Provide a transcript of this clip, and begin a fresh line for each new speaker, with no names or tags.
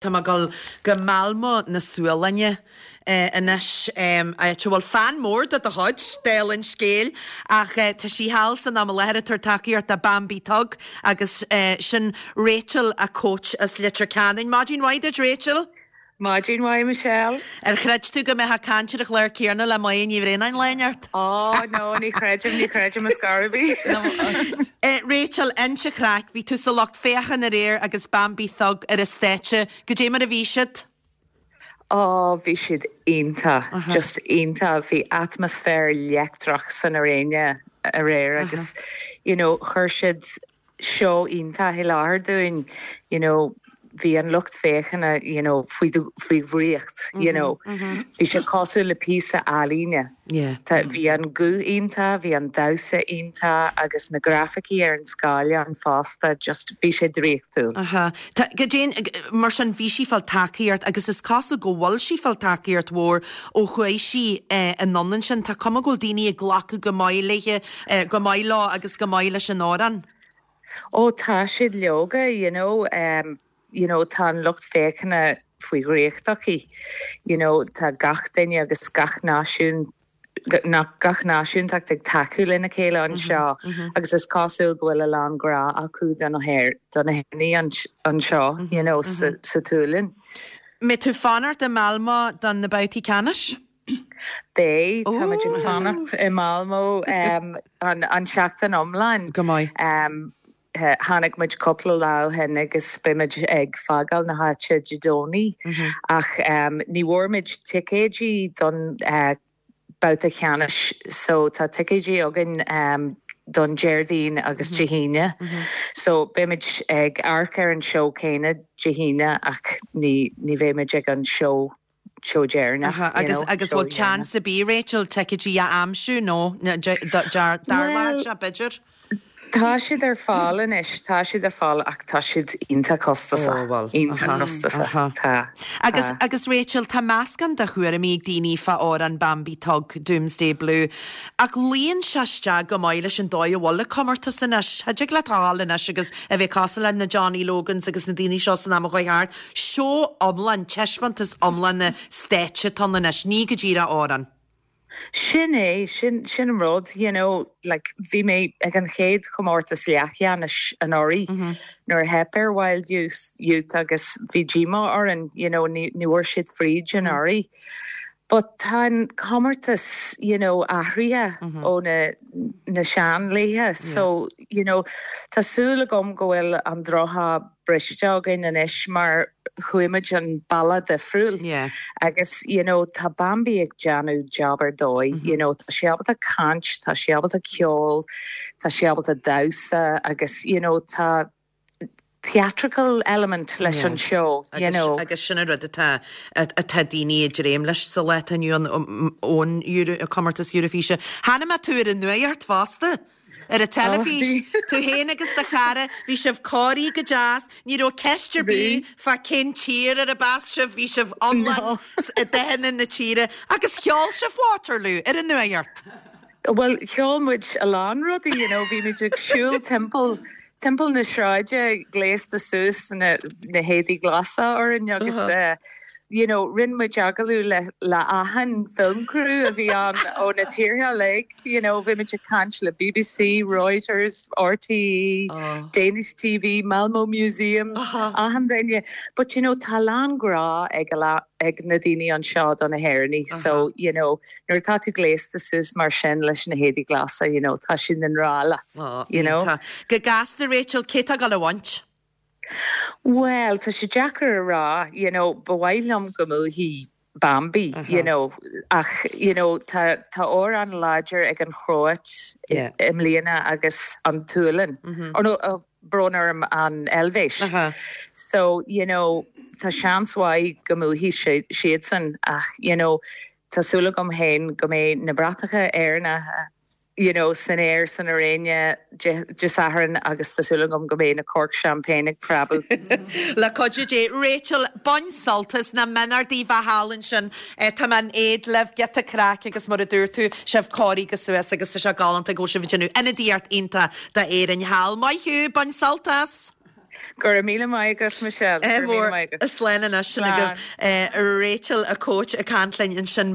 Tá mé ag dul go Malmö na Sualainne anois, áit a bhfuil fan mór de do chuid, dála an scéil, ach tá sí thall san am i láthair ag tabhairt tacaíocht do Bambi Thug agus sin Rachel, a coach as Leitir Ceanainn. Maidin mhaith duit Rachel!
Maidin mhaith Michelle.
Ar chreid tú go mbeifeá ag caint ar an chlár céanna le Máire Ní Bhraonáin lá inteacht?
Ó no, ní chreidim, ní chreidim ar scor ar bith.
Rachel, inis an chraic, bhí tú sa lucht féachana aréir agus Bambi Thug ar an stáitse, goidé mar a bhí siad?
Ó, bhí siad iontach, just iontach, bhí atmaisféar leictreach san airéine aréir agus you know chuir siad seó iontach i láthair dúinn, you know, bhí an lucht féachana, you know, faoi, faoi dhraíocht, you know. Bhí sé cosúil le píosa ealaíne. Tá, bhí an guth iontach, bhí an damhsa iontach agus na grafaicí ar an scáileán fosta, just bhí sé draíochtúil.
Aha. Tá, goidé, mar sin, bhí sí ag fáil tacaíocht agus is cosúil go bhfuil sí ag fáil tacaíocht mhór ó chuaigh sí anonn ansin. Tá cuma go bhfuil daoine ag glacadh go maith léithe Go maith leo agus go maith leis an amhrán.
Ó tá siad leoga, you know, you know tá an lucht féachana faoi dhraíocht aici, you know tá gach duine agus gach náisiún, gach náisiúntacht ag tacú lena chéile anseo agus is cosúil go bhfuil a lán grá acu do na hÉireannaigh anseo, you know, sa tSualainn.
Mbeidh tú ag fanacht i Malmö do na babhtaí ceannais?
Beidh, táimid ag fanacht i Malmö an tseachtain iomlán.
Go maith.
Tháinig muid cúpla lá ó shin agus beimid ag fágáil na háite Dé Domhnaigh ach ní bhfuair muid ticéidí don babhta ceannais so tá ticéidí againn don Déardaoin agus Dé hAoine. So beimid ag amharc ar an seó céanna Dé hAoine ach ní bheimid ag an seó seó deireanach,
you Agus
know,
agus
seó
bhfuil
deireanach.
chance ar bith, Rachel, ticéidí a aimsiú nó
Well,
darlódh sé, b'fhéidir?
tá siad ar fáil anois, tá siad ar fáil ach tá siad iontach
Ó,
costasach,
bhuel,
iontach
aha,
costasach,
aha.
tá,
Agus,
tá.
agus Rachel, tá meascán de thuairimí ag daoine fá amhrán Bambi Thug, Doomsday Blue, ach luíonn sé isteach go maith leis an dóigh a bhfuil an comórtas anois. Cha dtig leat a ghabháil anois agus a bheith cosúil le na Johnny Logans agus na daoine seo san am a chuaigh thart. Seó iomlán, taispeántas iomlán stáitse atá ann anois, ní go díreach amhrán.
Sin é, sin, sin an rud, you know, like bhí mé ag an chéad chomórtas leathcheannais anuraidh nuair a theip ar Wild Youth, Youth agus bhí díomá orainn, you know, ní, ní bhfuair siad fríd anuraidh. But tá an comórtas, you know, athraithe ó na, na seanlaetha so, you know, tá súil agam go bhfuil an drochádh briste againn anois mar chuaigh muid an bealach difriúil agus you know tá Bambi ag déanamh job ar dóigh, you know tá sí ábalta caint, tá sí ábalta ceol, tá sí ábalta damhsa agus you know tá theatrical element leis an seó, you know.
Agus sin an rud atá atá daoine ag dréim leis sa lá atá inniu ann ón comórtas Eurofíse. Chonaic mé tú ar an nuacht fosta! Ar an teilifís, tú féin agus do chara, bhí sibh cóirithe go deas, ní raibh ceist ar bith fá cén tír arb as sibh, bhí sibh iomlán i dathanna na tíre agus cheol sibh Waterloo ar an nuacht.
Bhuel, cheol muid a lán rudaí, you know, bhí muid ag siúl timpeall, timpeall na sráide gléasta suas, na, na héadaí glasa orainn agus eh, you know, rinne muid agallamh le, le achan film crew a bhí ann ó na tíortha uilig, you know, bhí muid ag caint le BBC, Reuters, RTÉ, Danish TV, Malmo Museum, achan duine. But you know, tá a lán grá ag a ag na daoine anseo do na hÉireannaigh, so you know, nuair atá tú gléasta suas mar sin leis na héadaí glasa, you know, tá siad i ngrá leat, you know.
Go gasta, Rachel, cé atá ag dul a bhaint?
Bhuel, tá sé deacair a rá, you know, ba mhaith liom go mbuafaidh Bambi, you know, ach, you know, tá, tá amhrán láidir ag an Chróit i mbliana agus an tSualainn, or no, brón orm, an Eilvéis. So, you know, tá seans mhaith go mbuafaidh siadsan ach, you know, tá súil agam féin go mbeidh na bratacha Éireannacha, you know, san aer san airéine Dé Sathairn agus tá súil agam go mbeidh na corc champagne ag preabadh.
Le cuidiú Dé. Rachel, bain sult as na mbeannachtaí bheith thall ansin. Tá mé in éad libh, giota craic agus mar a dúirt tú, sibh cóirithe suas agus tá sé galánta go bhfuil sibh ag déanamh ionadaíocht iontach d'Éirinn thall. Maith thú, bain sult as!
Go raibh míle maith agat, Michelle. Go raibh míle maith agat.
Slán anois. Sin agaibh Rachel, a coach, ag caint linn ansin.